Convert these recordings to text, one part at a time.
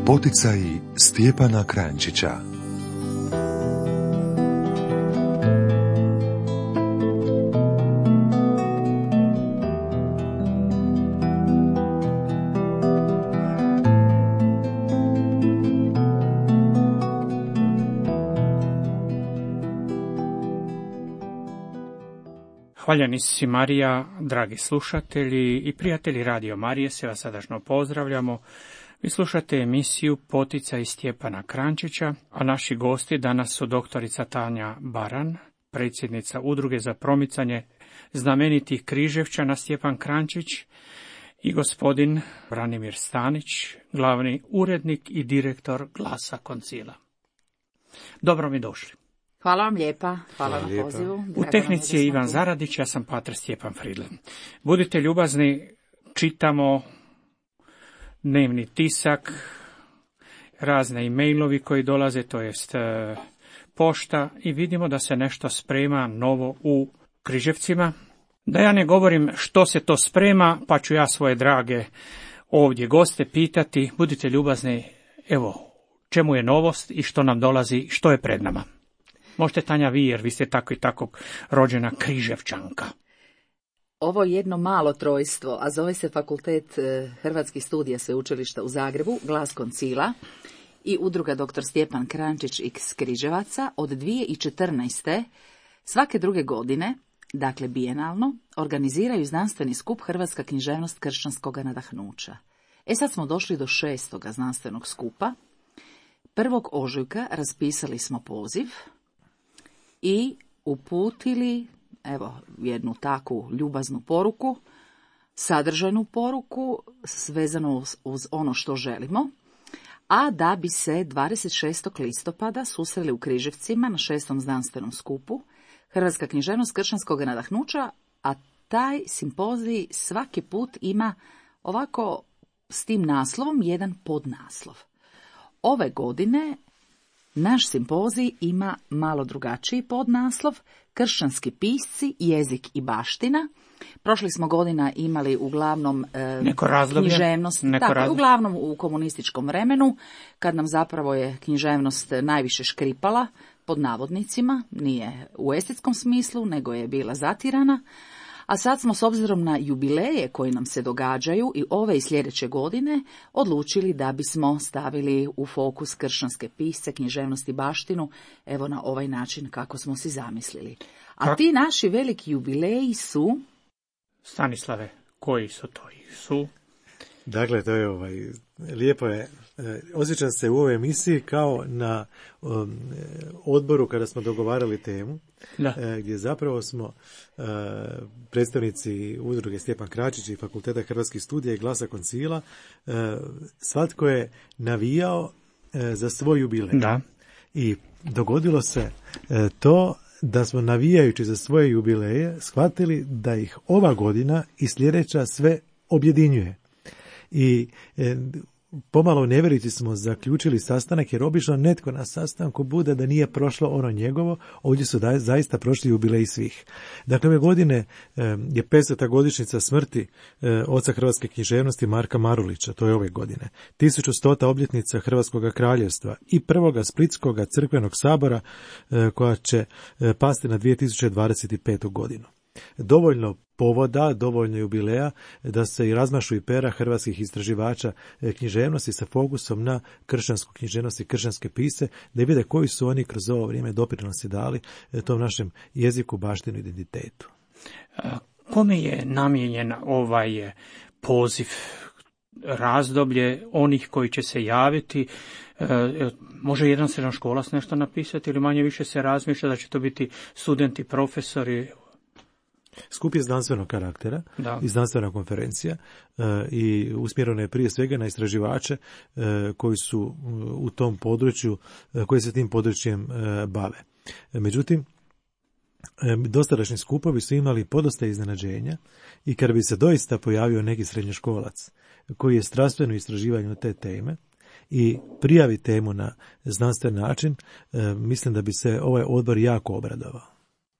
Poticaji Stjepana Kranjčića. Hvaljeni si Marija, dragi slušatelji i prijatelji Radio Marije, se vas srdačno pozdravljamo. Vi slušate emisiju Poticaj Stjepana Kranjčića, a naši gosti danas su doktorica Tanja Baran, predsjednica Udruge za promicanje znamenitih Križevčana Stjepan Kranjčić, i gospodin Branimir Stanić, glavni urednik i direktor Glasa Koncila. Dobro mi došli. Hvala vam lijepa, hvala na pozivu. U tehnici je Ivan Zaradić, ja sam pater Stjepan Fridlen. Budite ljubazni, čitamo dnevni tisak, razne e-mailovi koji dolaze, to jest pošta, i vidimo da se nešto sprema novo u Križevcima. Da ja ne govorim što se to sprema, pa ću ja svoje drage ovdje goste pitati, budite ljubazni, evo, čemu je novost i što nam dolazi, što je pred nama. Možete, Tanja, vi, jer vi ste tako i tako rođena Križevčanka. Ovo je jedno malo trojstvo, a zove se Fakultet Hrvatskih studija Sveučilišta u Zagrebu, Glas Koncila i Udruga dr. Stjepan Kranjčić iz Križevaca od 2014. svake druge godine, dakle bijenalno, organiziraju znanstveni skup Hrvatska književnost kršćanskog nadahnuća. Sad smo došli do 6. znanstvenog skupa. 1. ožujka raspisali smo poziv i uputili, evo, jednu takvu ljubaznu poruku, sadržajnu poruku, vezanu uz ono što želimo, a da bi se 26. listopada susreli u Križevcima na 6. znanstvenom skupu Hrvatska književnost kršćanskog nadahnuća, a taj simpozij svaki put ima ovako s tim naslovom jedan podnaslov. Ove godine naš simpozij ima malo drugačiji podnaslov, kršćanski pisci, jezik i baština. Prošlih smo godina imali uglavnom književnost, uglavnom u komunističkom vremenu, kad nam zapravo je književnost najviše škripala, pod navodnicima, nije u estetskom smislu, nego je bila zatirana. A sad smo, s obzirom na jubileje koji nam se događaju i ove i sljedeće godine, odlučili da bismo stavili u fokus kršćanske pisce, književnost i baštinu, evo na ovaj način kako smo si zamislili. A ti naši veliki jubileji su... Stanislave, koji su to? Su... Dakle, to je lijepo je. Osjećam se u ovoj emisiji kao na odboru kada smo dogovarali temu, gdje zapravo smo predstavnici Udruge Stjepan Kranjčić i Fakulteta Hrvatskih studija i Glasa Koncila, svatko je navijao za svoj jubilej. Da. I dogodilo se to da smo, navijajući za svoje jubileje, shvatili da ih ova godina i sljedeća sve objedinjuje. I pomalo nevjerici smo zaključili sastanak, jer obično netko na sastanku bude da nije prošlo ono njegovo, ovdje su zaista prošli jubileji svih. Dakle, ove godine je 500. godišnjica smrti oca hrvatske književnosti Marka Marulića, to je ove godine. 1100. obljetnica Hrvatskog kraljevstva i prvoga Splitskog crkvenog sabora koja će pasti na 2025. godinu. Dovoljno povoda, dovoljno jubileja da se i razmašu i pera hrvatskih istraživača književnosti sa fokusom na kršćansku književnost i kršćanske pisce, da vide koji su oni kroz ovo vrijeme doprinosi dali tom našem jeziku, baštinu i identitetu. Kome je namijenjen ovaj poziv, razdoblje onih koji će se javiti? Može jedan srednjoškolac nešto napisati ili manje više se razmišlja da će to biti studenti, profesori? Skup je znanstvenog karaktera i znanstvena konferencija i usmjerena je prije svega na istraživače koji su u tom području, koji se tim područjem bave. Međutim, dosadašnji skupovi su imali podosta iznenađenja i kada bi se doista pojavio neki srednjoškolac koji je strastveno istraživanje te teme i prijavi temu na znanstven način, mislim da bi se ovaj odbor jako obradovao.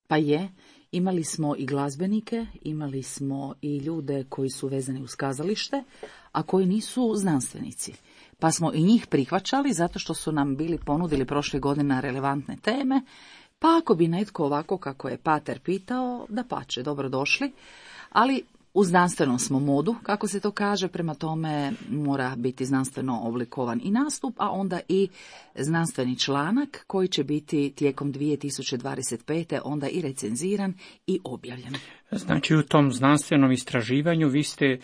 Pa je. Imali smo i glazbenike, imali smo i ljude koji su vezani uz kazalište, a koji nisu znanstvenici. pa smo i njih prihvaćali zato što su nam bili ponudili prošle godine relevantne teme, pa ako bi netko ovako kako je pater pitao, dapače, dobrodošli, ali u znanstvenom smo modu, kako se to kaže, prema tome mora biti znanstveno oblikovan i nastup, a onda i znanstveni članak koji će biti tijekom 2025. onda i recenziran i objavljen. Znači u tom znanstvenom istraživanju vi ste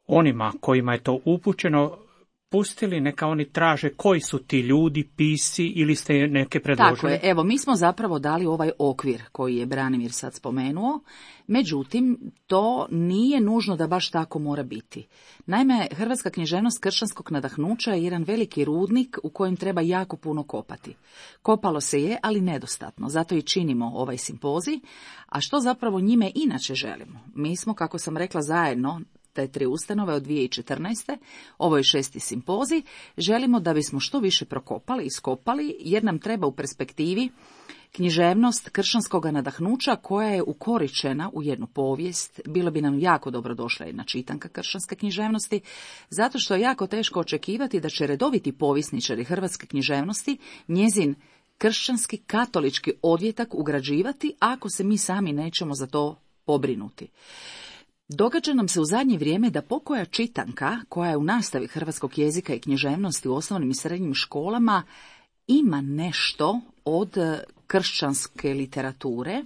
onima kojima je to upućeno pustili, neka oni traže koji su ti ljudi, pisci ili ste neke predložili? Tako je, evo mi smo zapravo dali ovaj okvir koji je Branimir sad spomenuo, međutim to nije nužno da baš tako mora biti. Naime, hrvatska književnost kršćanskog nadahnuća je jedan veliki rudnik u kojem treba jako puno kopati. Kopalo se je, ali nedostatno, zato i činimo ovaj simpozij, a što zapravo njime inače želimo? Mi smo, kako sam rekla, zajedno te 3 ustanove od 2014. Ovo je 6. simpozij. Želimo da bismo što više prokopali, iskopali, jer nam treba u perspektivi književnost kršćanskog nadahnuća koja je ukoričena u jednu povijest. Bilo bi nam jako dobro došla jedna čitanka kršćanske književnosti, zato što je jako teško očekivati da će redoviti povjesničari hrvatske književnosti njezin kršćanski katolički odvjetak ugrađivati ako se mi sami nećemo za to pobrinuti. Događa nam se u zadnje vrijeme da pokoja čitanka, koja je u nastavi hrvatskog jezika i književnosti u osnovnim i srednjim školama, ima nešto od kršćanske literature.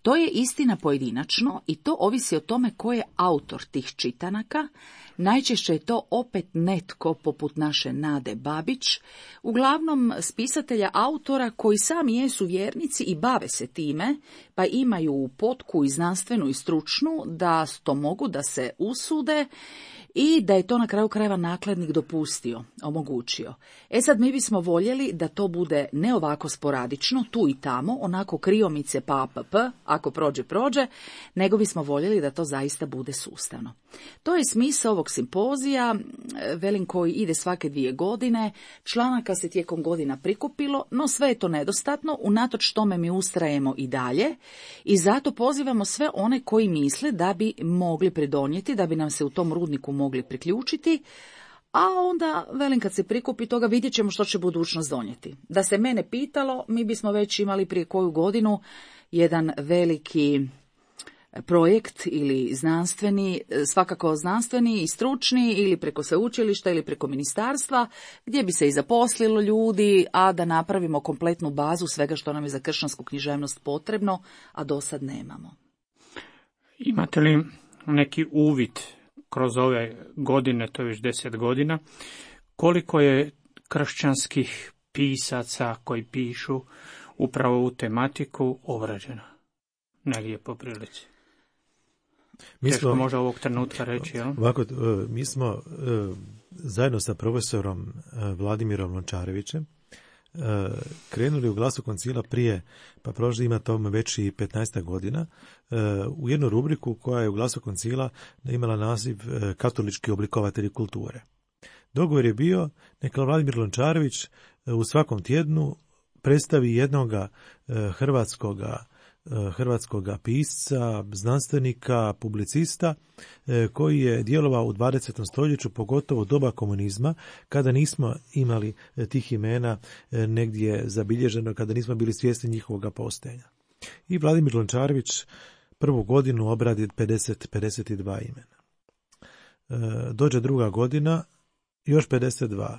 To je istina pojedinačno i to ovisi o tome ko je autor tih čitanaka. Najčešće je to opet netko poput naše Nade Babić, uglavnom spisatelja autora koji sami jesu vjernici i bave se time, pa imaju potku i znanstvenu i stručnu da to mogu da se usude i da je to na kraju krajeva nakladnik dopustio, omogućio. Sad mi bismo voljeli da to bude ne ovako sporadično, tu i tamo, onako kriomice pa ako prođe, nego bismo voljeli da to zaista bude sustavno. To je smisao ovog simpozija, velim, koji ide svake 2 godine, članaka se tijekom godina prikupilo, no sve je to nedostatno, unatoč tome mi ustrajemo i dalje i zato pozivamo sve one koji misle da bi mogli pridonijeti, da bi nam se u tom rudniku mogli priključiti, a onda, velim, kad se prikupi toga vidjet ćemo što će budućnost donijeti. Da se mene pitalo, mi bismo već imali prije koju godinu jedan veliki projekt ili znanstveni, svakako znanstveni i stručni ili preko sveučilišta ili preko ministarstva, gdje bi se i zaposlilo ljudi, a da napravimo kompletnu bazu svega što nam je za kršćansku književnost potrebno, a do sad nemamo. Imate li neki uvid kroz ove godine, to je već 10 godina, koliko je kršćanskih pisaca koji pišu upravo u tematiku obrađeno? Negdje po prilici. Teško može ovog trenutka reći, jel? Ovako, mi smo zajedno sa profesorom Vladimirom Lončarevićem krenuli u Glasu koncila prije, pa prošli ima tome već i 15 godina, u jednu rubriku koja je u Glasu koncila imala naziv Katolički oblikovatelji kulture. Dogovor je bio neka Vladimir Lončarević u svakom tjednu predstavi jednoga hrvatskoga pisca, znanstvenika, publicista koji je djelovao u 20. stoljeću, pogotovo doba komunizma, kada nismo imali tih imena negdje zabilježeno, kada nismo bili svjesni njihovog postojanja. I Vladimir Lončarević prvu godinu obradi 52 imena. Dođe druga godina, još 52.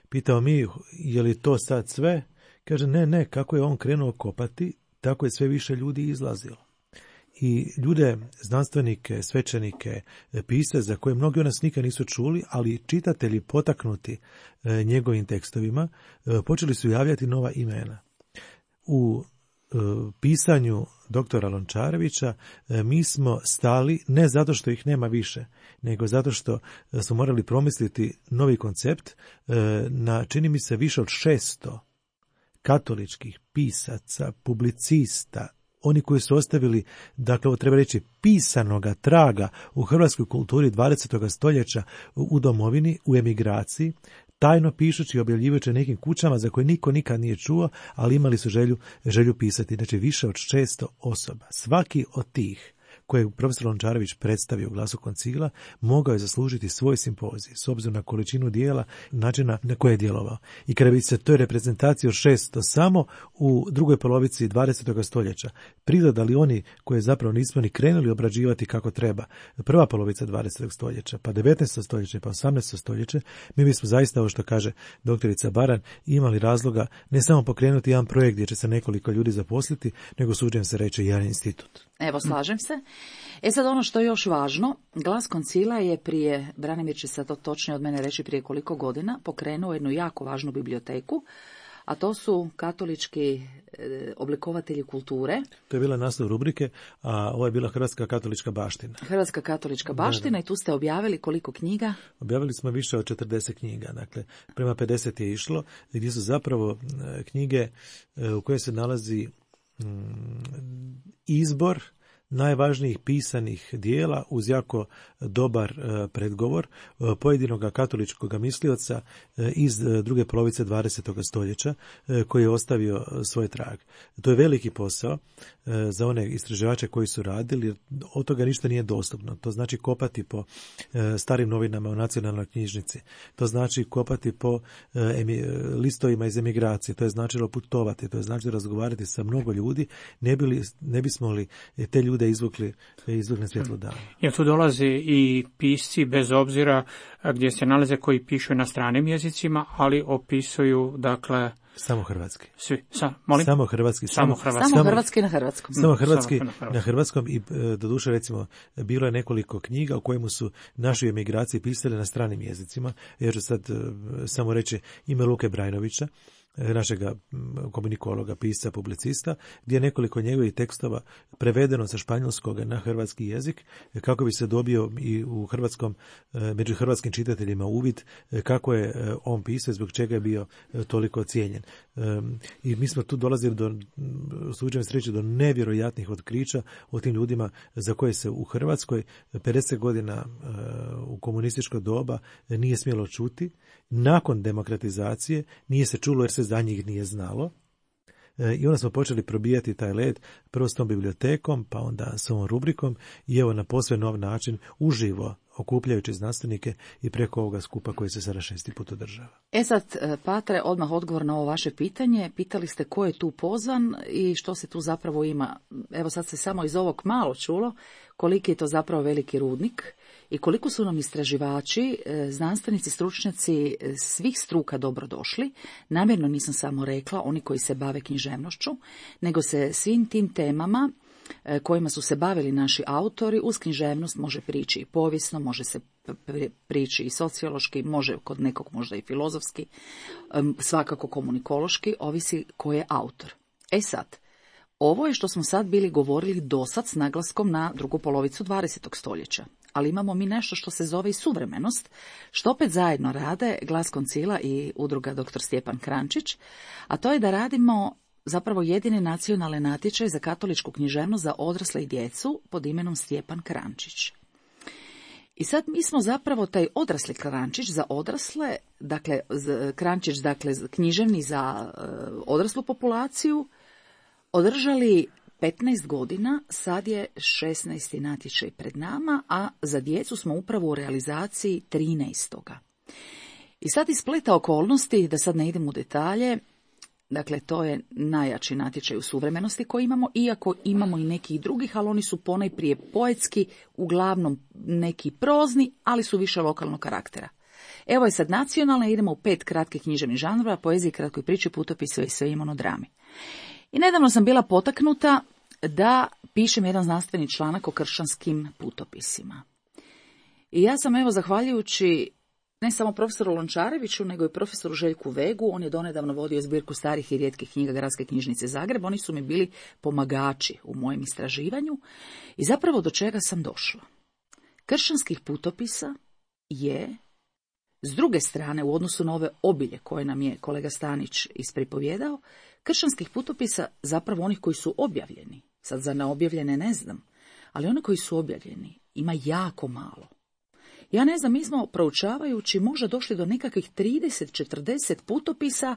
Pitao mi, je li to sad sve? Kaže, ne, kako je on krenuo kopati, tako je sve više ljudi izlazilo. I ljude, znanstvenike, svećenike, pisce za koje mnogi od nas nikad nisu čuli, ali čitatelji potaknuti njegovim tekstovima, počeli su javljati nova imena. U pisanju doktora Lončarevića mi smo stali ne zato što ih nema više, nego zato što smo morali promisliti novi koncept na, čini mi se, više od 600 katoličkih pisaca, publicista, oni koji su ostavili, dakle, ovo treba reći, pisanoga traga u hrvatskoj kulturi 20. stoljeća u domovini, u emigraciji, tajno pišući i objavljivajući nekim kućama za koje niko nikad nije čuo, ali imali su želju pisati. Znači, više od 600 osoba. Svaki od tih koje je profesor Lončarević predstavio u Glasu koncila, mogao je zaslužiti svoj simpozij, s obzirom na količinu dijela, načina na koje je djelovao. I kada bi se toj reprezentaciji od 600 samo u drugoj polovici 20. stoljeća pridodali oni koje zapravo nismo ni krenuli obrađivati kako treba, prva polovica 20. stoljeća, pa 19. stoljeće, pa 18. stoljeće, mi bismo zaista, ovo što kaže doktorica Baran, imali razloga ne samo pokrenuti jedan projekt gdje će se nekoliko ljudi zaposliti, nego suđem se reći jedan institut. Evo, slažem se. Sad ono što je još važno, Glas koncila je prije, Branimir će sad to točnije od mene reći prije koliko godina, pokrenuo jednu jako važnu biblioteku, a to su katolički oblikovatelji kulture. To je bila naslov rubrike, a ovo je bila Hrvatska katolička baština. Hrvatska katolička baština, da. I tu ste objavili koliko knjiga? Objavili smo više od 40 knjiga, dakle prema 50 je išlo, gdje su zapravo knjige u kojoj se nalazi izbor najvažnijih pisanih dijela uz jako dobar predgovor pojedinog katoličkog mislioca iz druge polovice 20. stoljeća koji je ostavio svoj trag. To je veliki posao za one istraživače koji su radili, jer od toga ništa nije dostupno. To znači kopati po starim novinama u nacionalnoj knjižnici. To znači kopati po listovima iz emigracije. To je značilo putovati. To je značilo razgovarati sa mnogo ljudi. Ne bismo li te ljude izvukli na svjetlo dana. Jer tu dolaze i pisci bez obzira gdje se nalaze koji pišu na stranim jezicima, ali opisuju, dakle, samo hrvatski. Svi. Samo hrvatski. Samo hrvatski na hrvatskom. Samo hrvatski na hrvatskom i doduše recimo bilo je nekoliko knjiga u kojemu su naši emigraciji pisali na stranim jezicima. Ja ću sad samo reći ime Luke Brajnovića, našega komunikologa, pisca, publicista, gdje je nekoliko njegovih tekstova prevedeno sa španjolskog na hrvatski jezik, kako bi se dobio i u hrvatskom, među hrvatskim čitateljima uvid kako je on pisao, zbog čega je bio toliko cijenjen. I mi smo tu dolazili do, slučajno sreće, do nevjerojatnih otkrića o tim ljudima za koje se u Hrvatskoj 50 godina u komunističko doba nije smjelo čuti. Nakon demokratizacije nije se čulo jer se za njih nije znalo. I onda smo počeli probijati taj led, prvo s tom bibliotekom, pa onda s ovom rubrikom i evo na posve nov način, uživo, okupljajući znanstvenike i preko ovoga skupa koji se sada 6. put održava. Sad, Patre, odmah odgovor na ovo vaše pitanje. Pitali ste ko je tu pozvan i što se tu zapravo ima. Evo sad se samo iz ovog malo čulo koliki je to zapravo veliki rudnik i koliko su nam istraživači, znanstvenici, stručnjaci svih struka dobrodošli. Namjerno nisam samo rekla oni koji se bave književnošću, nego se svim tim temama kojima su se bavili naši autori, uz književnost može prići i povijesno, može se prići i sociološki, može kod nekog možda i filozofski, svakako komunikološki, ovisi ko je autor. Sad, ovo je što smo sad bili govorili dosad s naglaskom na drugu polovicu 20. stoljeća. Ali imamo mi nešto što se zove i suvremenost, što opet zajedno rade Glas koncila i udruga dr. Stjepan Krančić, a to je da radimo zapravo jedini nacionalni natječaj za katoličku književnost za odrasle i djecu pod imenom Stjepan Krančić. I sad mi smo zapravo taj odrasli Krančić za odrasle, dakle Krančić, dakle književni za odraslu populaciju, održali 15 godina, sad je 16. natječaj pred nama, a za djecu smo upravo u realizaciji 13. I sad ispleta okolnosti, da sad ne idem u detalje, dakle to je najjači natječaj u suvremenosti koji imamo, iako imamo i nekih drugih, ali oni su ponajprije poetski, uglavnom neki prozni, ali su više lokalnog karaktera. Evo je sad nacionalna, idemo u 5 kratkih književnih žanrova, poeziji, kratkoj priči, putopisu i sve monodrami. I nedavno sam bila potaknuta da pišem jedan znanstveni članak o kršćanskim putopisima. I ja sam, evo, zahvaljujući ne samo profesoru Lončareviću, nego i profesoru Željku Vegu, on je donedavno vodio zbirku starih i rijetkih knjiga Gradske knjižnice Zagreb, oni su mi bili pomagači u mojem istraživanju i zapravo do čega sam došla. Kršćanskih putopisa je, s druge strane, u odnosu na ove obilje koje nam je kolega Stanić ispripovjedao, kršćanskih putopisa, zapravo onih koji su objavljeni, sad za neobjavljene ne znam, ali oni koji su objavljeni ima jako malo. Ja ne znam, mi smo proučavajući možda došli do nekakvih 30-40 putopisa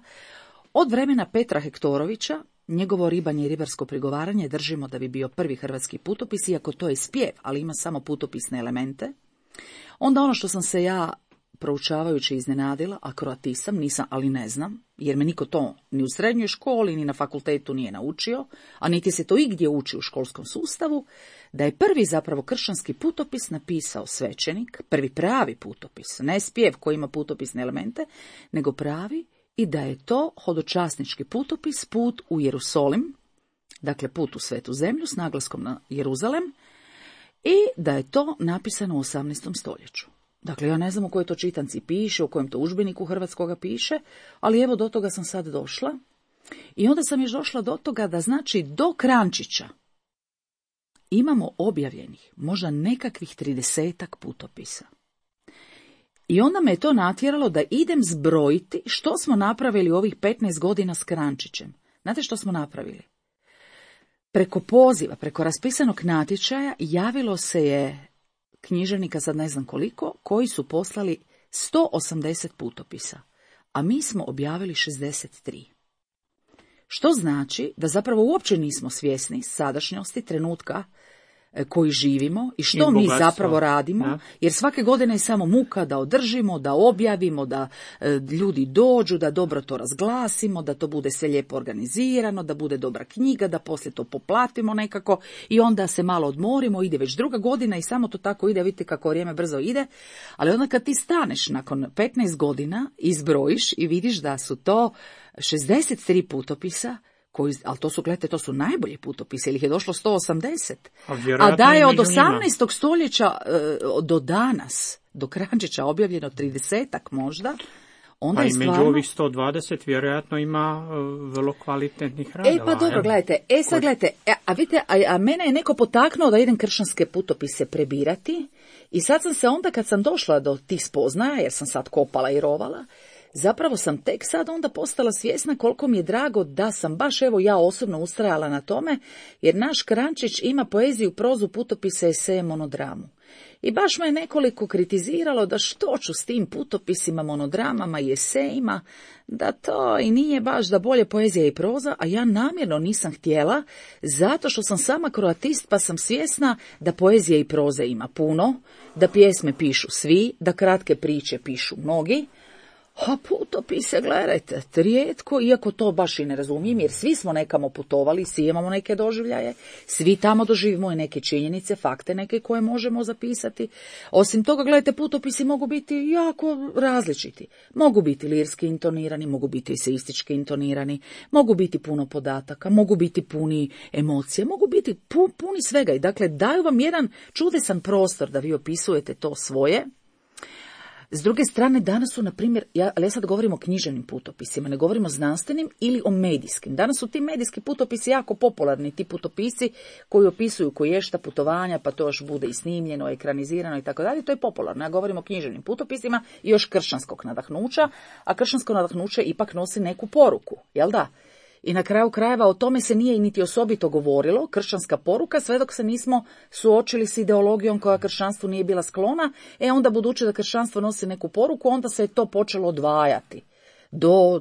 od vremena Petra Hektorovića, Njegovo ribanje i ribarsko prigovaranje držimo da bi bio prvi hrvatski putopis, iako to je spjev, ali ima samo putopisne elemente. Onda ono što sam se ja proučavajući iznenadila, a kroatisam, nisam, ali ne znam, jer me niko to ni u srednjoj školi, ni na fakultetu nije naučio, a niti se to igdje uči u školskom sustavu, da je prvi zapravo kršćanski putopis napisao svećenik, prvi pravi putopis, ne spjev koji ima putopisne elemente, nego pravi, i da je to hodočasnički putopis, put u Jerusalim, dakle put u Svetu zemlju s naglaskom na Jeruzalem, i da je to napisano u 18. stoljeću. Dakle, ja ne znam u kojoj to čitanci piše, u kojem to udžbeniku hrvatskoga piše, ali evo do toga sam sad došla. I onda sam još došla do toga da znači do Krančića imamo objavljenih možda nekakvih 30-ak putopisa. I onda me je to natjeralo da idem zbrojiti što smo napravili ovih 15 godina s Krančićem. Znate što smo napravili? Preko poziva, preko raspisanog natječaja javilo se je književnika, sad ne znam koliko, koji su poslali 180 putopisa, a mi smo objavili 63. Što znači da zapravo uopće nismo svjesni sadašnjosti, trenutka koji živimo i što mi zapravo radimo, ja. Jer svake godine je samo muka da održimo, da objavimo, da ljudi dođu, da dobro to razglasimo, da to bude sve lijepo organizirano, da bude dobra knjiga, da poslije to poplatimo nekako i onda se malo odmorimo, ide već druga godina i samo to tako ide, vidite kako vrijeme brzo ide, ali onda kad ti staneš nakon 15 godina, izbrojiš i vidiš da su to 63 putopisa, ali to su, gledajte, to su najbolji putopisi, ili ih je došlo 180. A da je od 18. stoljeća do danas, do Krančića objavljeno 30-ak možda, onda je stvarno... Pa i među ovih 120 vjerojatno ima vrlo kvalitetnih radova. Pa dobro, gledajte, sad gledajte, a vidite, a mene je neko potaknuo da idem kršćanske putopise prebirati i sad sam se onda, kad sam došla do tih spoznaja, jer sam sad kopala i rovala, zapravo sam tek sad onda postala svjesna koliko mi je drago da sam baš evo ja osobno ustrajala na tome, jer naš Krančić ima poeziju, prozu, putopise, eseje, monodramu. I baš me je nekoliko kritiziralo da što ću s tim putopisima, monodramama i esejima, da to i nije baš da bolje poezija i proza, a ja namjerno nisam htjela, zato što sam sama kroatist pa sam svjesna da poezije i proze ima puno, da pjesme pišu svi, da kratke priče pišu mnogi, a putopise, gledajte, rijetko, iako to baš i ne razumijem, jer svi smo nekamo putovali, svi imamo neke doživljaje, svi tamo doživimo i neke činjenice, fakte neke koje možemo zapisati. Osim toga, gledajte, putopisi mogu biti jako različiti. Mogu biti lirski intonirani, mogu biti eseistički intonirani, mogu biti puno podataka, mogu biti puni emocije, mogu biti puni svega. I dakle, daju vam jedan čudesan prostor da vi opisujete to svoje. S druge strane, danas su, na primjer, ali ja sad govorim o književnim putopisima, ne govorim o znanstvenim ili o medijskim. Danas su ti medijski putopisi jako popularni, ti putopisi koji opisuju koješta putovanja, pa to još bude i snimljeno, ekranizirano i tako dalje, to je popularno. Ja govorim o književnim putopisima i još kršćanskog nadahnuća, a kršćansko nadahnuće ipak nosi neku poruku, jel da? I na kraju krajeva o tome se nije niti osobito govorilo, kršćanska poruka, sve dok se nismo suočili s ideologijom koja kršćanstvu nije bila sklona, onda budući da kršćanstvo nosi neku poruku, onda se je to počelo odvajati. Do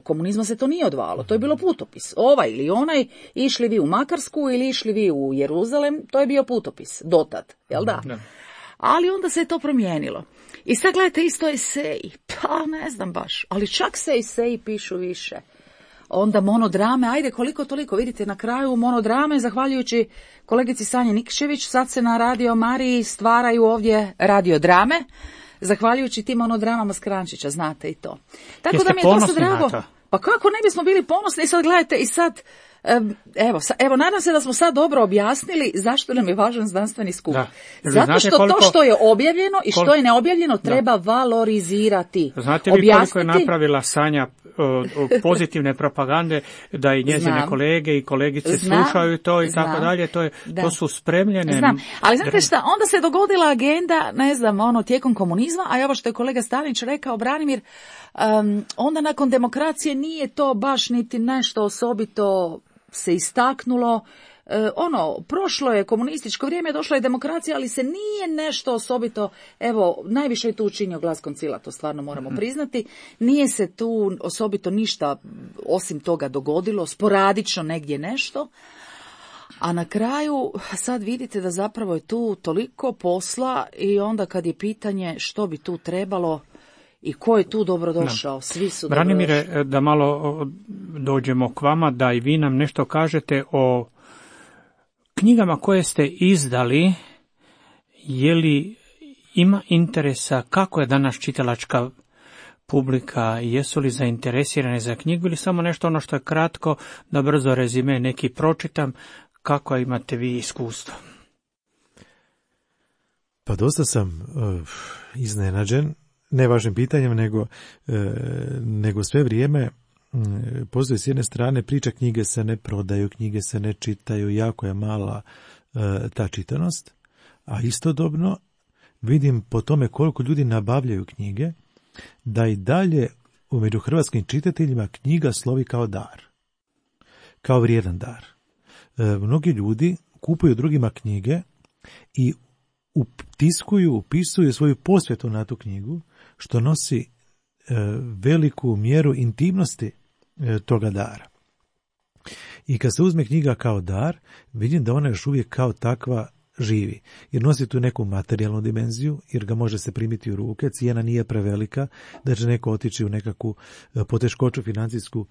komunizma se to nije odvajalo, to je bilo putopis. Ovaj ili onaj, išli vi u Makarsku ili išli vi u Jeruzalem, to je bio putopis, dotad, jel da? Ali onda se je to promijenilo. I sad gledajte, isto eseji, pa ne znam baš, ali čak se eseji pišu više. Onda monodrame, ajde koliko toliko, vidite na kraju monodrame, zahvaljujući kolegici Sanji Nikšević, sad se na Radio Mariji stvaraju ovdje radiodrame, zahvaljujući tim monodramama s Krančića, znate i to. Tako Jeste da mi je to sad drago. Pa kako ne bismo bili ponosni, sad gledajte i sad, evo, nadam se da smo sad dobro objasnili zašto nam je važan znanstveni skup. Zato što to što je objavljeno i što je neobjavljeno treba valorizirati. Znate li koliko je napravila Sanja pozitivne propagande, da i njezine kolege i kolegice slušaju to i tako dalje, to su spremljene. Znam, ali znate šta, onda se dogodila agenda, ne znam, tijekom komunizma, a evo što je kolega Stalinić rekao, Branimir, onda nakon demokracije nije to baš niti nešto osobito se istaknulo, prošlo je komunističko vrijeme, došla je demokracija, ali se nije nešto osobito, evo, najviše je tu učinio Glas Koncila, to stvarno moramo priznati, nije se tu osobito ništa osim toga dogodilo, sporadično negdje nešto, a na kraju sad vidite da zapravo je tu toliko posla i onda kad je pitanje što bi tu trebalo i ko je tu dobrodošao, svi su dobrodošli. Branimire, da malo dođemo k vama, da i vi nam nešto kažete o knjigama koje ste izdali, je li ima interesa, kako je danas čitalačka publika, jesu li zainteresirane za knjigu ili samo nešto ono što je kratko, da brzo rezime neki pročitam, kako imate vi iskustvo? Pa dosta sam iznenađen, ne vašim pitanjem, nego sve vrijeme postoji s jedne strane priča, knjige se ne prodaju, knjige se ne čitaju, jako je mala ta čitanost, a istodobno vidim po tome koliko ljudi nabavljaju knjige, da i dalje među hrvatskim čitateljima knjiga slovi kao dar, kao vrijedan dar. Mnogi ljudi kupuju drugima knjige i upisuju svoju posvetu na tu knjigu, što nosi veliku mjeru intimnosti toga dara. I kad se uzme knjiga kao dar, vidim da ona još uvijek kao takva živi, jer nosi tu neku materijalnu dimenziju, jer ga može se primiti u ruke, cijena nije prevelika, da će neko otići u nekakvu poteškoću financijsku,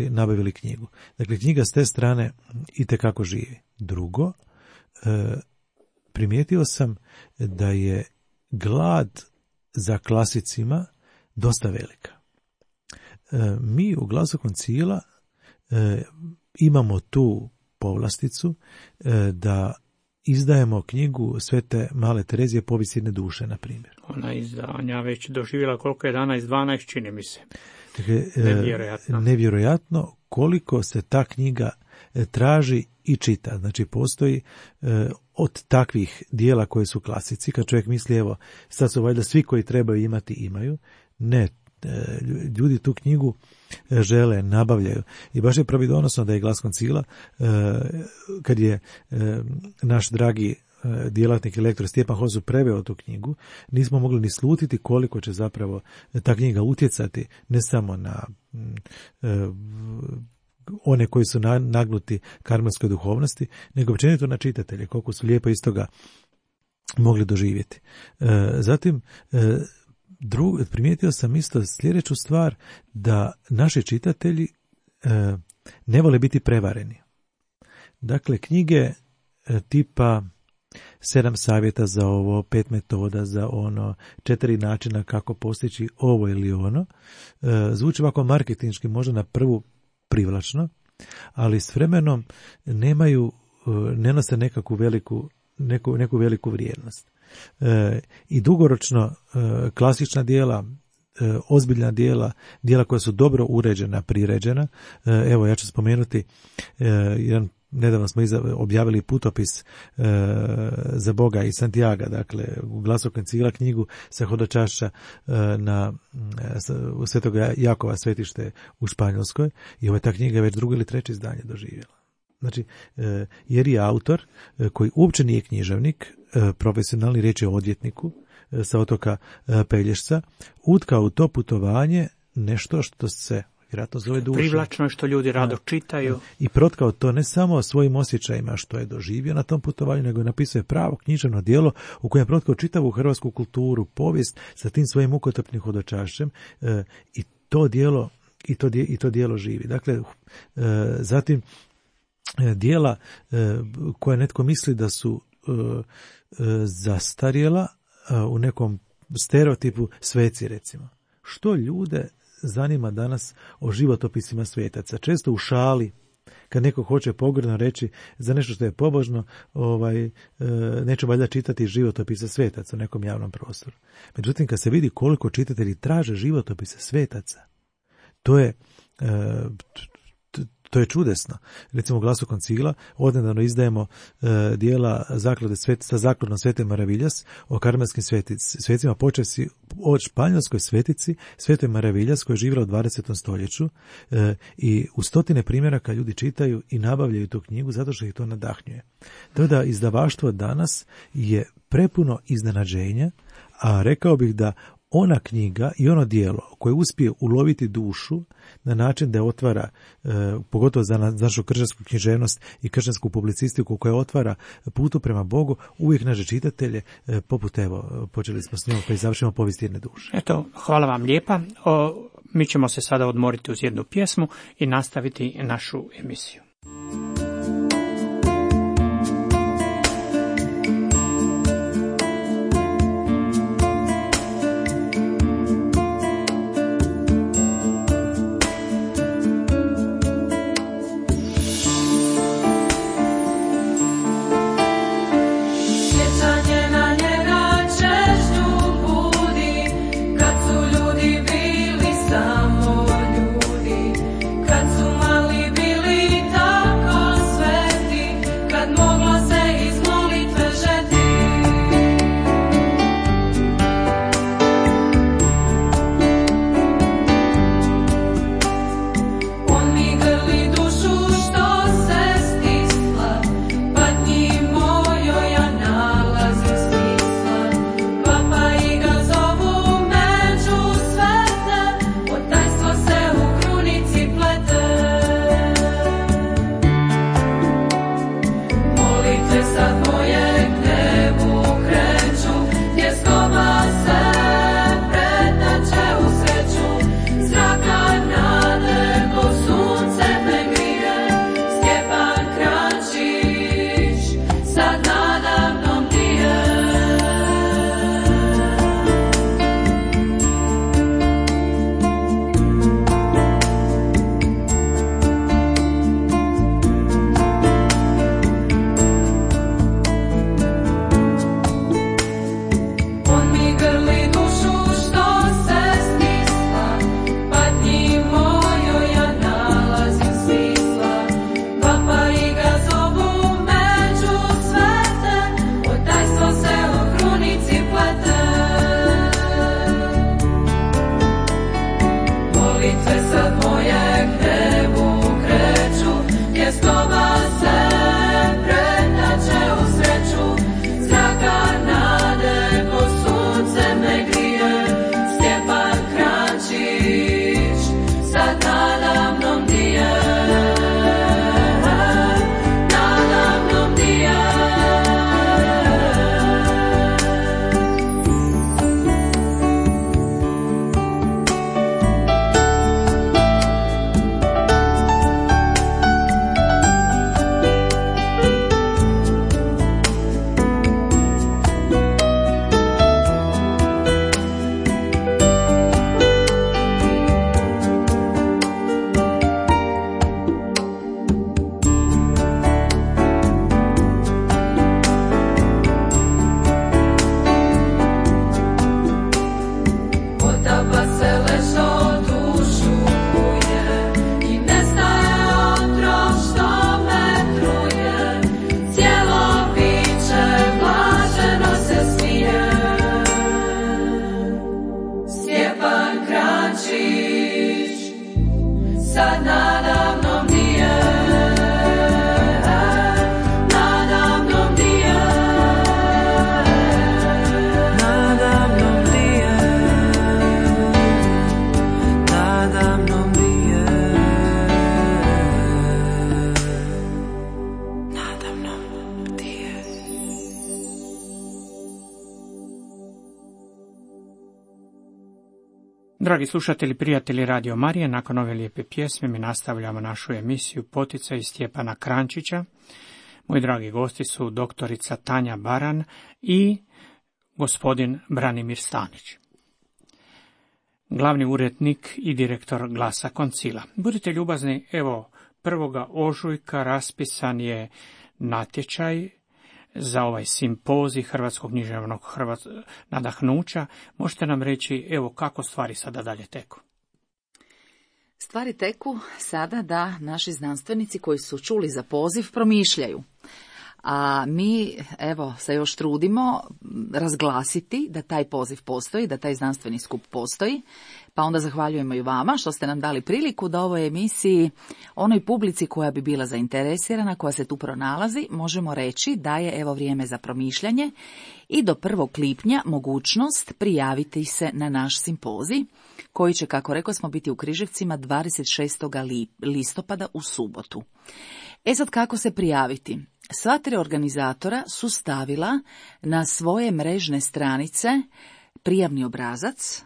nabavili knjigu. Dakle, knjiga s te strane itekako živi. Drugo, primijetio sam da je glad za klasicima dosta velika. Mi u Glasu Koncila imamo tu povlasticu da izdajemo knjigu Svete Male Terezije Povijest jedne duše, na primjer. Ona izdanja već doživjela koliko je 11-12, čini mi se. Dakle, nevjerojatno. Nevjerojatno koliko se ta knjiga traži i čita. Znači, postoji od takvih dijela koje su klasici, kad čovjek misli, evo, sad su valjda svi koji trebaju imati, imaju. Ne, ljudi tu knjigu žele, nabavljaju. I baš je pravidonosno da je Glas Koncila, kad je naš dragi djelatnik i lektor Stjepan Hozu preveo tu knjigu, nismo mogli ni slutiti koliko će zapravo ta knjiga utjecati ne samo na one koji su nagnuti karmelskoj duhovnosti, nego općenito na čitatelje, koliko su lijepo iz toga mogli doživjeti. Zatim, primijetio sam isto sljedeću stvar, da naši čitatelji ne vole biti prevareni. Dakle, knjige tipa 7 savjeta za ovo, 5 metoda za ono, 4 načina kako postići ovo ili ono, zvuči ovako marketinški, možda na prvu privlačno, ali s vremenom ne nose neku veliku vrijednost. I dugoročno klasična djela, ozbiljna djela koja su dobro uređena, priređena. Evo, ja ću spomenuti nedavno smo objavili putopis za Boga iz Santiaga, dakle u Glasu Koncila knjigu sa hodočašća u Svetog Jakova svetište u Španjolskoj, i ta knjiga je već 2. ili 3. izdanje doživjela. Znači, jer je autor koji uopće nije književnik, profesionalni, riječ je o odvjetniku sa otoka Pelješca, utkao u to putovanje nešto što se vjerojatno zove duša. Privlačno je, što ljudi rado čitaju. I protkao to ne samo svojim osjećajima što je doživio na tom putovanju, nego je napisao pravo književno djelo u kojem je protkao čitavu hrvatsku kulturu, povijest sa tim svojim mukotrpnim hodočašćem, i to djelo živi. Dakle, zatim djela koja netko misli da su zastarjela, u nekom stereotipu sveci, recimo. Što ljude zanima danas o životopisima svetaca? Često u šali, kad neko hoće pogrdno reći za nešto što je pobožno, neću valjda čitati životopise svetaca u nekom javnom prostoru. Međutim, kad se vidi koliko čitatelji traže životopise svetaca, To je čudesno. Recimo u Glasu koncila odnedavno izdajemo dijela zaklade sa zakladom Svete Maraviljas o karmelskim svecima, počevši od španjolskoj svetici Svete Maraviljas koja je živjela u 20. stoljeću i u stotine primjeraka ljudi čitaju i nabavljaju tu knjigu zato što ih to nadahnjuje. To da izdavaštvo danas je prepuno iznenađenja, a rekao bih da ona knjiga i ono djelo koje uspije uloviti dušu na način da je otvara, pogotovo za našu kršćansku književnost i kršćansku publicistiku koja otvara putu prema Bogu, uvijek naše čitatelje, poput evo, počeli smo s njom pa i završimo povijest jedne duše. Eto, hvala vam lijepa. Mi ćemo se sada odmoriti uz jednu pjesmu i nastaviti našu emisiju. Dragi slušatelji, prijatelji Radio Marije, nakon ove lijepe pjesme mi nastavljamo našu emisiju Poticaj Stjepana Krančića. Moji dragi gosti su doktorica Tanja Baran i gospodin Branimir Stanić, glavni urednik i direktor Glasa koncila. Budite ljubazni, evo 1. ožujka raspisan je natječaj za ovaj simpozij Hrvatskog književnog nadahnuća. Možete nam reći, evo, kako stvari sada dalje teku? Stvari teku sada da naši znanstvenici koji su čuli za poziv promišljaju. A mi, evo, se još trudimo razglasiti da taj poziv postoji, da taj znanstveni skup postoji, pa onda zahvaljujemo i vama što ste nam dali priliku da ovoj emisiji, onoj publici koja bi bila zainteresirana, koja se tu pronalazi, možemo reći da je evo vrijeme za promišljanje i do 1. lipnja mogućnost prijaviti se na naš simpozij, koji će, kako rekao smo, biti u Križevcima 26. listopada u subotu. Sad kako se prijaviti? Sva 3 organizatora su stavila na svoje mrežne stranice prijavni obrazac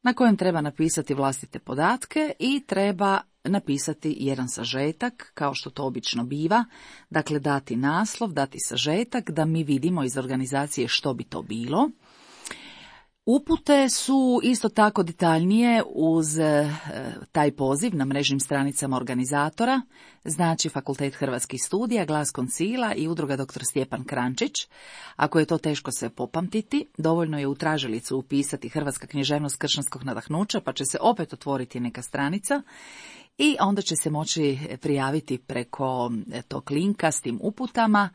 na kojem treba napisati vlastite podatke i treba napisati jedan sažetak, kao što to obično biva, dakle dati naslov, dati sažetak, da mi vidimo iz organizacije što bi to bilo. Upute su isto tako detaljnije uz taj poziv na mrežnim stranicama organizatora, znači Fakultet hrvatskih studija, Glas koncila i Udruga dr. Stjepan Krančić. Ako je to teško se popamtiti, dovoljno je u tražilicu upisati Hrvatska književnost kršćanskog nadahnuća, pa će se opet otvoriti neka stranica i onda će se moći prijaviti preko tog linka s tim uputama,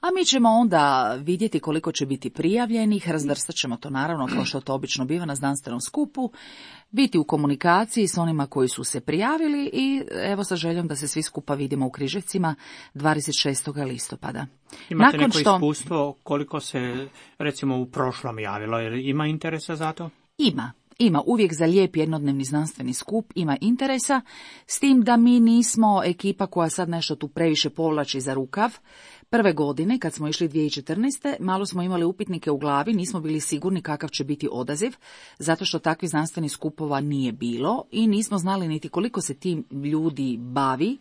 a mi ćemo onda vidjeti koliko će biti prijavljenih, razvrstat ćemo to naravno kao što to obično biva na znanstvenom skupu, biti u komunikaciji s onima koji su se prijavili i evo sa željom da se svi skupa vidimo u Križevcima 26. listopada. Imate neko iskustvo koliko se recimo u prošlom javilo, jer ima interesa za to? Ima uvijek za lijep jednodnevni znanstveni skup, ima interesa, s tim da mi nismo ekipa koja sad nešto tu previše povlači za rukav. Prve godine, kad smo išli 2014. malo smo imali upitnike u glavi, nismo bili sigurni kakav će biti odaziv, zato što takvih znanstvenih skupova nije bilo i nismo znali niti koliko se tim ljudi bavi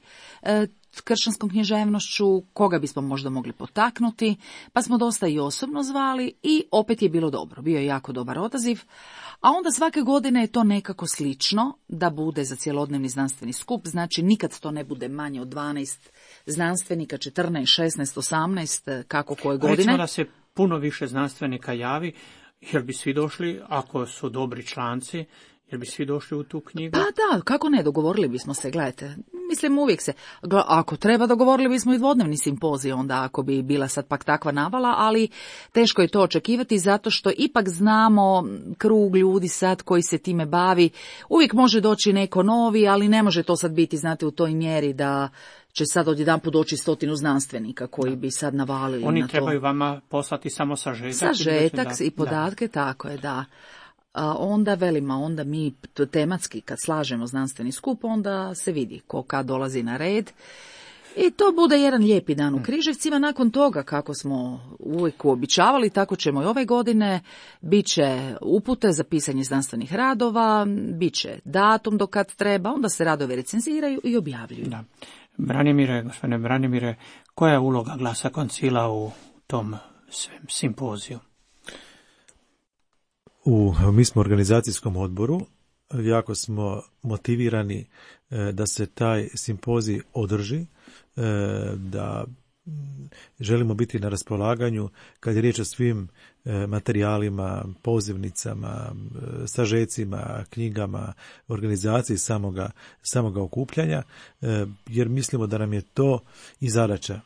kršćanskom književnošću, koga bismo možda mogli potaknuti, pa smo dosta i osobno zvali i opet je bilo dobro, bio je jako dobar odaziv. A onda svake godine je to nekako slično da bude za cjelodnevni znanstveni skup, znači nikad to ne bude manje od 12 znanstvenika, 14, 16, 18, kako koje godine. Recimo da se puno više znanstvenika javi, jer bi svi došli, ako su dobri članci, jer bi svi došli u tu knjigu? Pa da, kako ne, dogovorili bismo se, gledajte. Mislim, uvijek se, ako treba, dogovorili bismo i dvodnevni simpozij, onda ako bi bila sad pak takva navala, ali teško je to očekivati, zato što ipak znamo krug ljudi sad koji se time bavi. Uvijek može doći neko novi, ali ne može to sad biti, znate, u toj mjeri da će sad odjedanput doći 100 znanstvenika koji bi sad navalili na to. Oni trebaju vama poslati samo sažetak? Sažetak i podatke, tako je, da. Onda velima, onda mi tematski kad slažemo znanstveni skup, onda se vidi ko kad dolazi na red. I to bude jedan lijepi dan u Križevcima. Nakon toga, kako smo uvijek uobičavali, tako ćemo i ove godine. Biće upute za pisanje znanstvenih radova, biće datum do kad treba, onda se radovi recenziraju i objavljuju. Da. Gospodine Branimire, koja je uloga Glasa koncila u tom simpoziju? Mi smo u organizacijskom odboru, jako smo motivirani da se taj simpozij održi, da želimo biti na raspolaganju kad je riječ o svim materijalima, pozivnicama, sažecima, knjigama, organizaciji samoga okupljanja, jer mislimo da nam je to i zadaća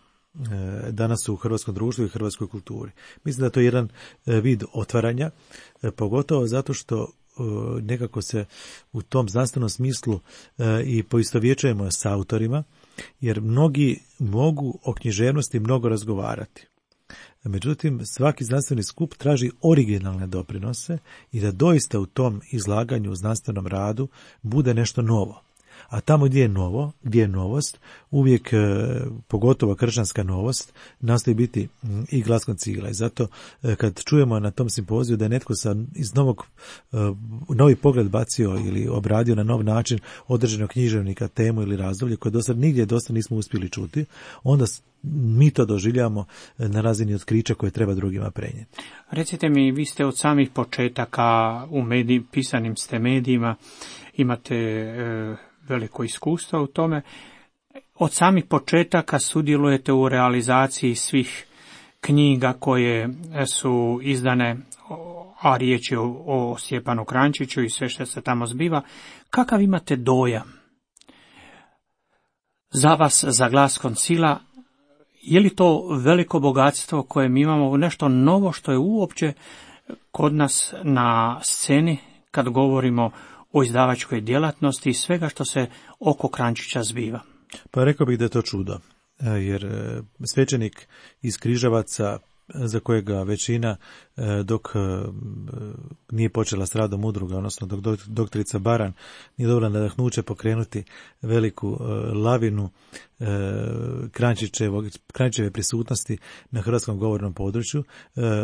danas u hrvatskom društvu i hrvatskoj kulturi. Mislim da je to jedan vid otvaranja, pogotovo zato što nekako se u tom znanstvenom smislu i poistovjećujemo s autorima, jer mnogi mogu o književnosti mnogo razgovarati. Međutim, svaki znanstveni skup traži originalne doprinose i da doista u tom izlaganju u znanstvenom radu bude nešto novo. A tamo gdje je novost, uvijek, pogotovo kršćanska novost, nastoji biti i Glas koncila. I zato kad čujemo na tom simpoziju da je netko iz novi pogled bacio ili obradio na nov način određenog književnika, temu ili razdoblje koje do sad nigdje dosta nismo uspjeli čuti, onda mi to doživljamo na razini otkrića koje treba drugima prenijeti. Recite mi, vi ste od samih početaka u pisanim ste medijima, imate veliko iskustvo u tome. Od samih početaka sudjelujete u realizaciji svih knjiga koje su izdane, a riječ je o Stjepanu Krančiću i sve što se tamo zbiva. Kakav imate dojam za vas, za Glas Koncila, je li to veliko bogatstvo koje mi imamo, nešto novo što je uopće kod nas na sceni kad govorimo o izdavačkoj djelatnosti i svega što se oko Kranjčića zbiva? Pa rekao bih da je to čudo, jer svećenik iz Križevaca, za kojega većina dok nije počela s radom udruga, odnosno dok doktorica Baran nije dobila nadahnuće pokrenuti veliku lavinu Kranjčićeve prisutnosti na hrvatskom govornom području,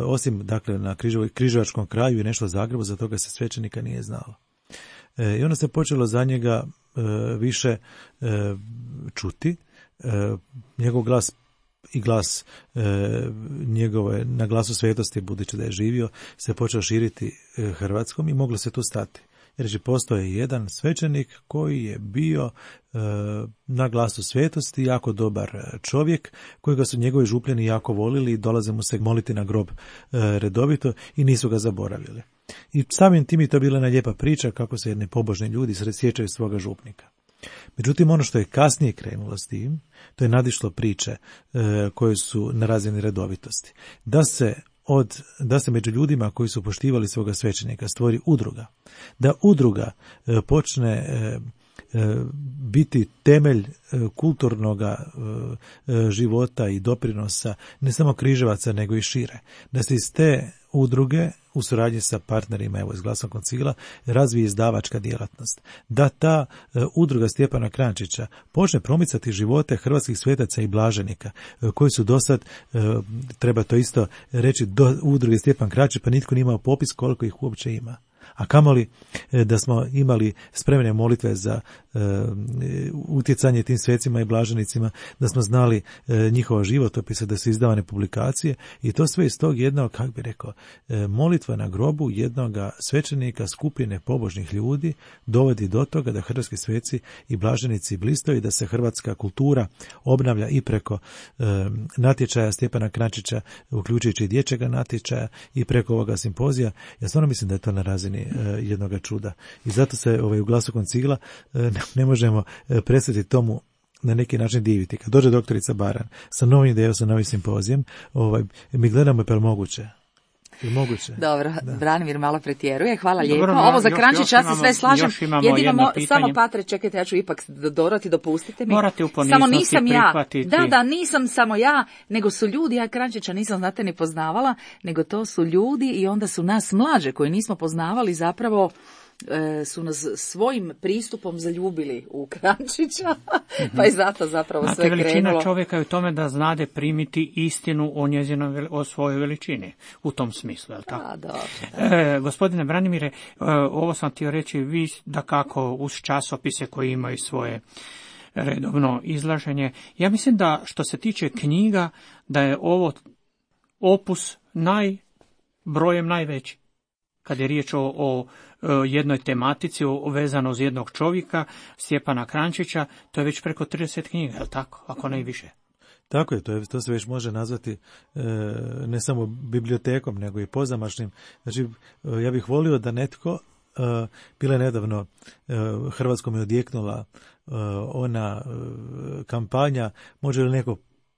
osim dakle na Križevačkom kraju i nešto Zagrebu, za toga se svećenika nije znalo. I onda se počelo za njega više čuti, njegov glas i glas njegove na Glasu svetosti, budući da je živio, se počeo širiti Hrvatskom i moglo se tu stati. Jer postoje jedan svećenik koji je bio na Glasu svetosti jako dobar čovjek, kojega su njegovi župljani jako volili i dolaze mu se moliti na grob redovito i nisu ga zaboravili. I samim tim je to bila jedna lijepa priča kako se jedni pobožni ljudi sjećaju svoga župnika. Međutim, ono što je kasnije krenulo s tim, to je nadišlo priče koje su na razini redovitosti. Da se među ljudima koji su poštivali svoga svećenika stvori udruga. Da udruga počne biti temelj kulturnog života i doprinosa ne samo Križevaca nego i šire. Da se iz te udruge u suradnji sa partnerima evo iz Glasa Koncila razvije izdavačka djelatnost. Da ta udruga Stjepana Kranjčića počne promicati živote hrvatskih svetaca i blaženika koji su dosad, treba to isto reći, do udruge Stjepan Kranjčić pa nitko nije imao popis koliko ih uopće ima. A kamoli da smo imali spremne molitve za utjecanje tim svecima i blaženicima, da smo znali njihova životopise, da su izdavane publikacije i to sve iz tog jednog, kako bi rekao, molitva na grobu jednog svećenika skupine pobožnih ljudi dovodi do toga da hrvatski sveci i blaženici blistaju i da se hrvatska kultura obnavlja i preko natječaja Stjepana Kranjčića, uključujući i dječjega natječaja i preko ovoga simpozija. Ja stvarno mislim da je to na razini jednoga čuda. I zato se u Glasu Koncila ne možemo prestati tomu na neki način diviti. Kad dođe doktorica Baran sa novim idejom, sa novim simpozijem, mi gledamo je moguće. Dobro, da. Branimir malo pretjeruje, hvala lijepo. Ovo za Kranjčić, ja se sve slažem. Jedino samo Patre, čekajte, ja ću ipak dorati, dopustite mi. Morate u poniznosti prihvatiti. Da, nisam samo ja, nego su ljudi, ja Kranjčića nisam, znate, ni poznavala, nego to su ljudi i onda su nas mlađe koji nismo poznavali zapravo su nas svojim pristupom zaljubili u Kranjčića, pa je zato zapravo sve krenulo. Veličina čovjeka je u tome da znade primiti istinu o svojoj veličini, u tom smislu, je li tako? Gospodine Branimire, ovo sam htio reći, vi da kako uz časopise koji imaju svoje redovno izlaženje, ja mislim da što se tiče knjiga, da je ovo opus brojem najveći. Kad je riječ o jednoj tematici vezano uz jednog čovjeka, Stjepana Kranjčića, to je već preko 30 knjiga, je li tako? Ako ne i više. Tako je, to se već može nazvati ne samo bibliotekom, nego i pozamašnim. Znači, ja bih volio da netko, bila je nedavno, Hrvatskom je odjeknula ona kampanja, može li neko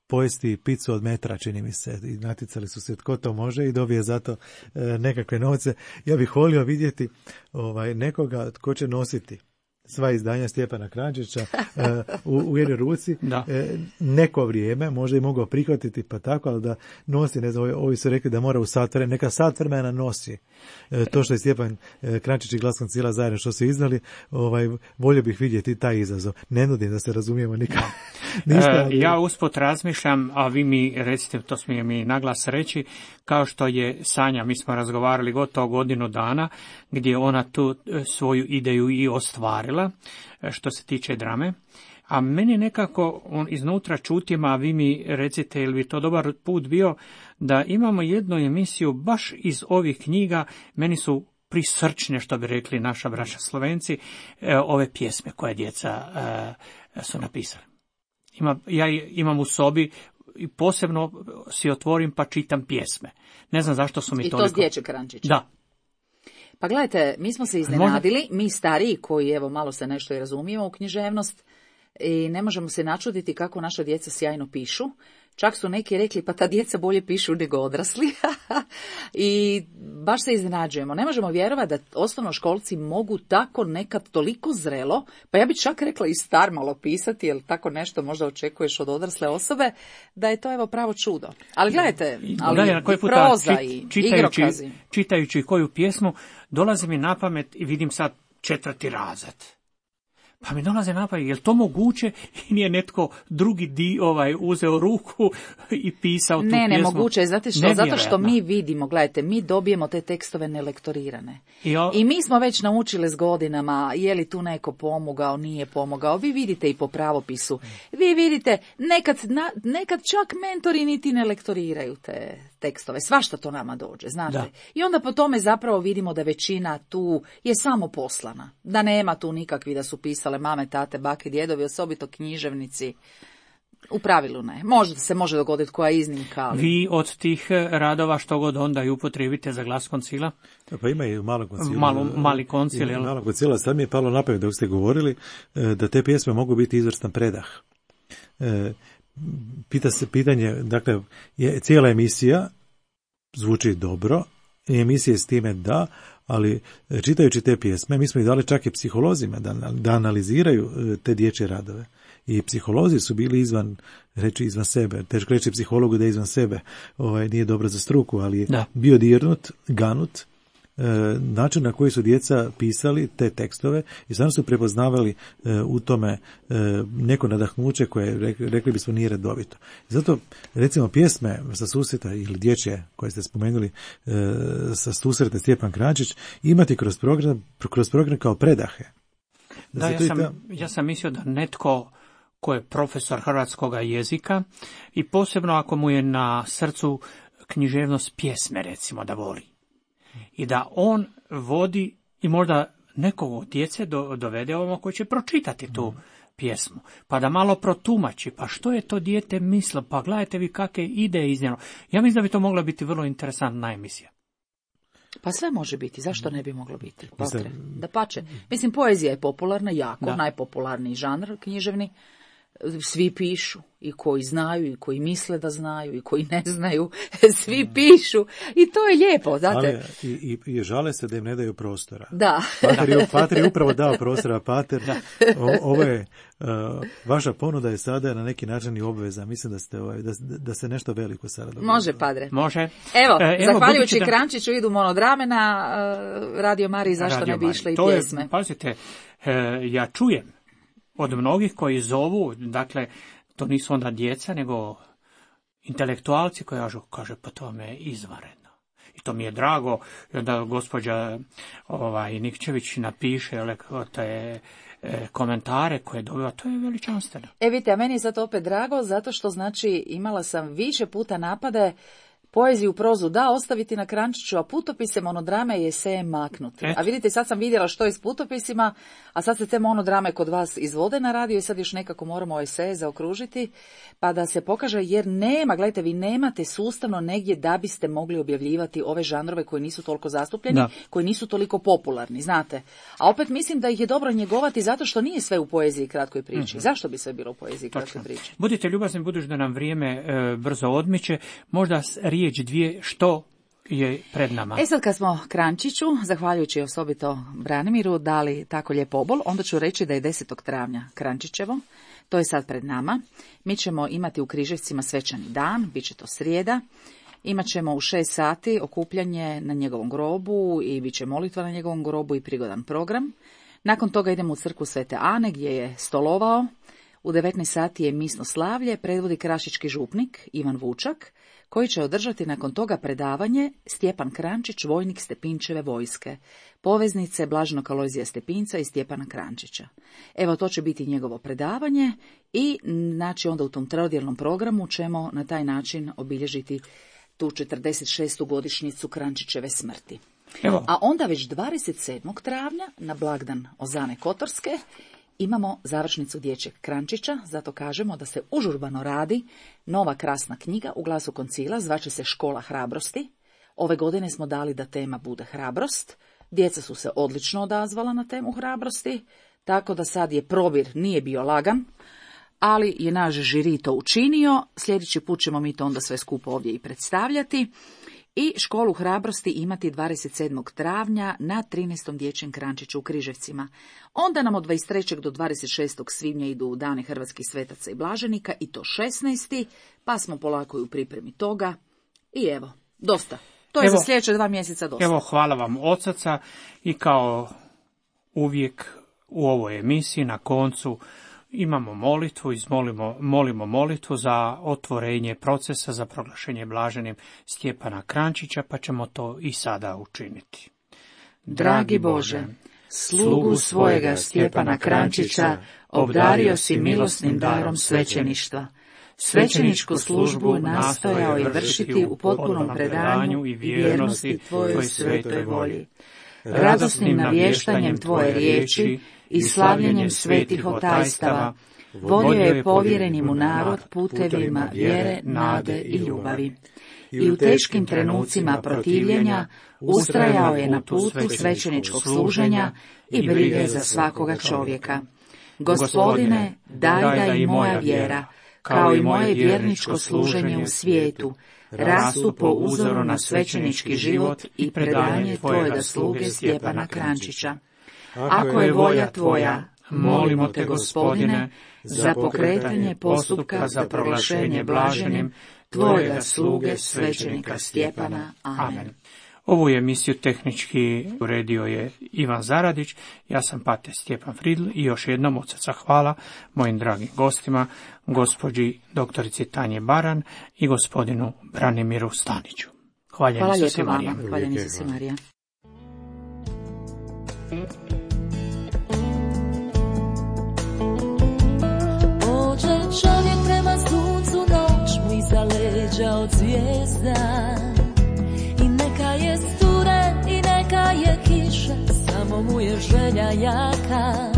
pojesti picu od metra, čini mi se, i natjecali su se tko to može i dobije zato nekakve novce. Ja bih volio vidjeti nekoga tko će nositi sva izdanja Stjepana Kranjčića u jednoj ruci neko vrijeme, možda i mogao prihvatiti pa tako, ali da nosi, ne znam, ovi su rekli da mora u sat vremena, neka sat vremena nosi to što je Stjepan Kranjčić i Glas Koncila zajedno što su izdali, volio bih vidjeti taj izazov. Ne nudim da se razumijemo nikad. Ja usput razmišljam, a vi mi recite, to smije mi naglas reći, kao što je Sanja, mi smo razgovarali gotovo godinu dana, gdje ona tu svoju ideju i ostvarila, što se tiče drame, a meni nekako iznutra čutim, a vi mi recite, ili bi to dobar put bio, da imamo jednu emisiju baš iz ovih knjiga, meni su prisrčne, što bi rekli naša braća Slovenci, ove pjesme koje djeca su napisali. Ja imam u sobi i posebno si otvorim pa čitam pjesme. Ne znam zašto su mi toliko... I to s dječjeg Kranjčića? Da. Pa gledajte, mi smo se iznenadili, mi stariji koji evo malo se nešto i razumijemo u književnost, i ne možemo se načuditi kako naša djeca sjajno pišu. Čak su neki rekli, pa ta djeca bolje pišu nego odrasli. I baš se iznenađujemo. Ne možemo vjerovati da osnovnoškolci mogu tako nekad toliko zrelo, pa ja bih čak rekla i star malo pisati, jer tako nešto možda očekuješ od odrasle osobe, da je to evo pravo čudo. Ali gledajte, ali i proza i igrokazi. Čitajući koju pjesmu, dolazi mi na pamet i vidim sad 4. razred. Pa mi dolaze na pamet, je li to moguće i nije netko drugi uzeo ruku i pisao tu pjesmu? Ne, moguće je, znate što? Zato što mi vidimo, gledajte, mi dobijemo te tekstove nelektorirane. I mi smo već naučili s godinama, je li tu neko pomogao, nije pomogao. Vi vidite i po pravopisu. Vi vidite, nekad čak mentori niti ne lektoriraju te tekstove. Svašta to nama dođe, znate. Da. I onda po tome zapravo vidimo da većina tu je samo poslana. Da nema tu nikakvi da su pisale mame, tate, bake, djedovi, osobito književnici. U pravilu ne. Možda se može dogoditi koja iznimka. Ali... Vi od tih radova što god onda i upotrijebite za glas koncila? Pa ima i u malom koncilu. Mali koncil, jel? Malom koncila. Sad mi je palo na pamet dok ste govorili da te pjesme mogu biti izvrstan predah. Pitanje, dakle, cijela emisija zvuči dobro, i emisije s time da, ali čitajući te pjesme, mi smo ih dali čak i psiholozima da analiziraju te dječje radove. I psiholozi su bili izvan sebe. Teško reći psihologu da je izvan sebe. Nije dobro za struku, ali je bio dirnut, ganut, način na koji su djeca pisali te tekstove i stvarno su prepoznavali u tome neko nadahnuće koje, rekli bismo, nije redovito. Zato, recimo, pjesme sa susreta ili dječje koje ste spomenuli sa susreta Stjepan Kranjčić imati kroz program kao predahe. Ja sam mislio da netko ko je profesor hrvatskog jezika i posebno ako mu je na srcu književnost pjesme, recimo, da voli. I da on vodi i možda nekog od djece dovede ovamo koji će pročitati tu pjesmu, pa da malo protumači, pa što je to dijete mislilo, pa gledajte vi kakve ide iznijelo. Ja mislim da bi to mogla biti vrlo interesantna emisija. Pa sve može biti, zašto ne bi moglo biti? Dapače. Mislim, poezija je popularna, jako, najpopularniji žanr književni. Svi pišu, i koji znaju, i koji misle da znaju, i koji ne znaju, svi pišu, i to je lijepo, znate. Ali i žale se da im ne daju prostora. Da. Pater je upravo dao prostora, Pater. Ovo je, vaša ponuda je sada na neki način i obveza. Mislim da se nešto veliko sada dogodilo. Može, Padre. Može. Evo zahvaljujući Kranjčiću idu monodrame na Radio Mariji, zašto ne bi išle i pjesme. Pazite, ja čujem od mnogih koji zovu, dakle, to nisu onda djeca, nego intelektualci koji kaže, pa to me je izvanredno. I to mi je drago, i onda gospođa Nikčević napiše te komentare koje dobiva, to je veličanstveno. Vidite, a meni je sad opet drago, zato što znači imala sam više puta napade poeziju, prozu da ostaviti na Kranjčiću, a putopise, monodrame i eseje maknuti. A vidite, sad sam vidjela što je s putopisima, a sad se te monodrame kod vas izvode na radio i sad još nekako moramo eseje zaokružiti, pa da se pokaže, jer nema, gledajte, vi nemate sustavno negdje da biste mogli objavljivati ove žanrove koji nisu toliko zastupljeni, koji nisu toliko popularni, znate. A opet mislim da ih je dobro njegovati zato što nije sve u poeziji i kratkoj priči. Zašto bi sve bilo u poeziji i kratkoj priči? Budite ljubazni, budući da nam vrijeme brzo odmiče, možda riječ dvije što je pred nama. Sad kad smo Kranjčiću, zahvaljujući osobito Branimiru, dali tako lijep obol, onda ću reći da je 10. travnja Kranjčićevo. To je sad pred nama. Mi ćemo imati u Križevcima svečani dan, bit će to srijeda. Imat ćemo u 6 sati okupljanje na njegovom grobu i bit će molitva na njegovom grobu i prigodan program. Nakon toga idemo u crkvu Svete Ane gdje je stolovao. U 19 sati je misno slavlje, predvodi krašički župnik Ivan Vučak, koji će održati nakon toga predavanje Stjepan Kranjčić, vojnik Stepinčeve vojske, poveznice Blaženog Alojzija Stepinca i Stjepana Kranjčića. Evo, to će biti njegovo predavanje i znači onda u tom trodjelnom programu ćemo na taj način obilježiti tu 46. godišnjicu Kranjčićeve smrti. Evo. A onda već 27. travnja na blagdan Ozane Kotorske imamo završnicu dječjeg Kranjčića, zato kažemo da se užurbano radi nova krasna knjiga u Glasu koncila, zvaće se Škola hrabrosti. Ove godine smo dali da tema bude hrabrost. Djeca su se odlično odazvala na temu hrabrosti, tako da sad je probir nije bio lagan, ali je naš žiri to učinio. Sljedeći put ćemo mi to onda sve skupo ovdje i predstavljati. I školu hrabrosti imati 27. travnja na 13. dječjem krančiću u Križevcima. Onda nam od 23. do 26. svibnja idu dane hrvatskih svetaca i blaženika, i to 16. pa smo polako u pripremi toga. I evo, dosta. To je za sljedeće 2 mjeseca dosta. Evo, hvala vam od srca i kao uvijek u ovoj emisiji na koncu imamo molitvu, molimo molitvu za otvorenje procesa za proglašenje blaženim Stjepana Krančića, pa ćemo to i sada učiniti. Dragi Bože, slugu svojega Stjepana Krančića obdario si milosnim darom svećeništva. Svećeničku službu nastojao je vršiti u potpunom predanju i vjernosti Tvojoj svetoj volji. Radosnim navještanjem Tvoje riječi i slavljenjem svetih otajstava vodio je povjereni mu narod putevima vjere, nade i ljubavi. I u teškim trenucima protivljenja ustrajao je na putu svećeničkog služenja i brige za svakoga čovjeka. Gospodine, daj da i moja vjera, kao i moje vjerničko služenje u svijetu, rastu po uzoru na svećenički život i predanje Tvojega sluge Stjepana Krančića. Ako je volja Tvoja, molimo Te, Gospodine, za pokretanje postupka za proglašenje blaženim Tvojega sluge svećenika Stjepana. Amen. Ovu emisiju tehnički uredio je Ivan Zaradić, ja sam pater Stjepan Fridl i još jednom od srca hvala mojim dragim gostima, gospođi doktorici Tanji Baran i gospodinu Branimiru Staniću. Hvala lijepo vama. Hvaljeni su se Marija. Pođe čovjek prema suncu, noć mu iza leđa od zvijezda. I neka je studen i neka je kiša, samo mu je želja jaka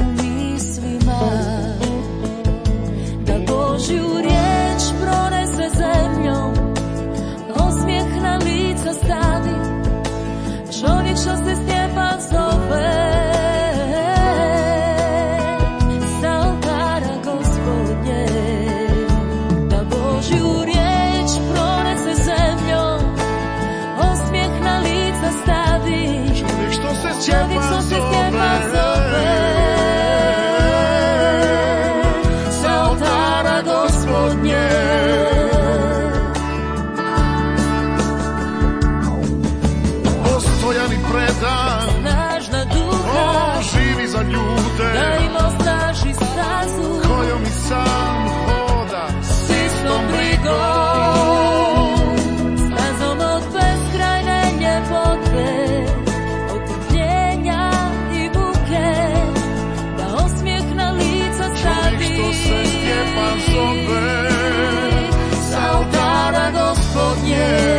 u mislima. Da Božju riječ pronese zemljom, osmijeh na lica stavi, čovjek što se Stjepan zove. Sa oltara Gospodnje, da Božju riječ pronese zemljom, osmijeh na lica stavi, čovjek što se Stjepan zove. Sa oltara Gospodnje, postojan i predan, snažna duha, živi za ljude, da im osnaži stazu, kojom i sam hoda, s istom brigom, stazom od beskrajne ljepote, od trpljenja i buke, da osmijeh na lica stavi, čovjek što se Stjepan zove. sa oltara Gospodnje.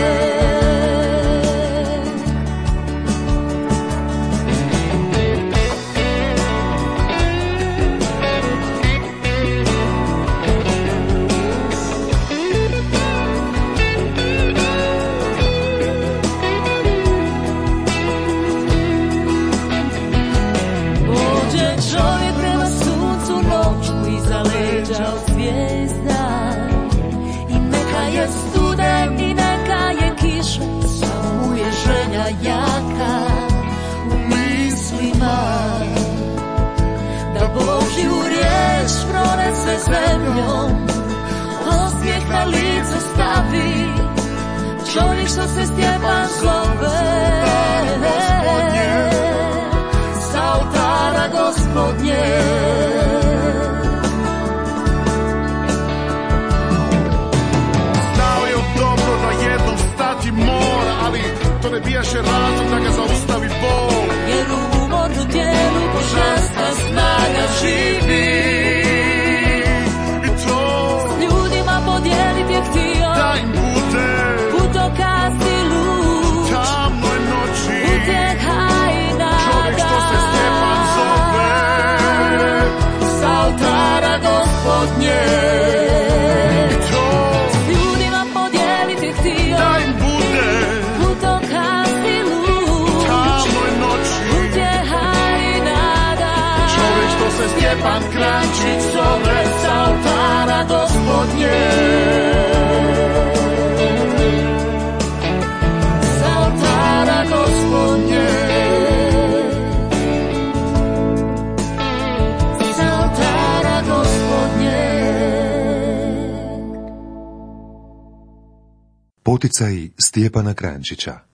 Pođe čovjek prema suncu, noć mu iza leđa od zvijezda. I neka je studen i neka je kiša, samo mu je želja jaka u mislima. Da Božju riječ pronese zemljom, osmijeh na lice stavi, čovjek što se Stjepan zove. Sa oltara Gospodnje, Znao je dobro da jednom stati mora, ali to ne bijaše razlog da ga zaustavi bol. jer u umornu tijelu božanska snaga živi. I to S ljudima podijeliti je htio, da im bude putokaz i lud. tamno je Stjepan Kranjčić zove sa oltara Gospodnje. Sa oltara Gospodnje. Sa oltara Gospodnje. Poticaji Stjepana Kranjčića.